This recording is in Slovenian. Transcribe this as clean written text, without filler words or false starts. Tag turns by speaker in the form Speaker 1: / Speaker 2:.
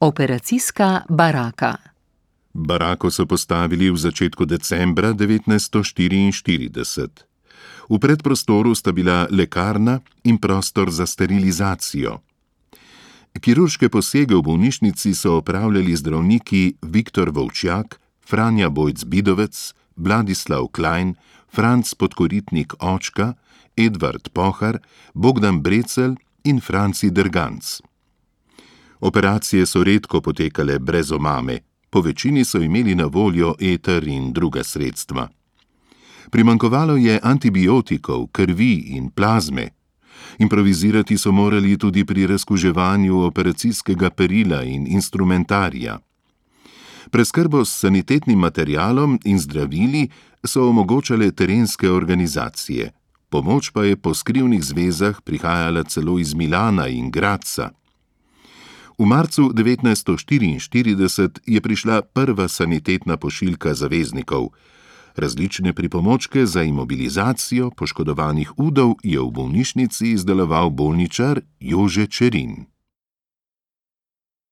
Speaker 1: Operacijska baraka.
Speaker 2: Barako so postavili v začetku decembra 1944. V predprostoru sta bila lekarna in prostor za sterilizacijo. Kirurške posege v bolnišnici so opravljali zdravniki Viktor Volčjak, Franja Bojc-Bidovec, Vladislav Klein, Franc Podkoritnik Očka, Edvard Pohar, Bogdan Brecelj in Franci Derganc. Operacije so redko potekale brez omame, po večini so imeli na voljo eter in druga sredstva. Primanjkovalo je antibiotikov, krvi in plazme. Improvizirati so morali tudi pri razkuževanju operacijskega perila in instrumentarija. Preskrbo s sanitetnim materialom in zdravili so omogočale terenske organizacije. Pomoč pa je po skrivnih zvezah prihajala celo iz Milana in Gradca. V marcu 1944 je prišla prva sanitetna pošiljka zaveznikov. Različne pripomočke za imobilizacijo poškodovanih udov je v bolnišnici izdeloval bolničar Jože Čerin.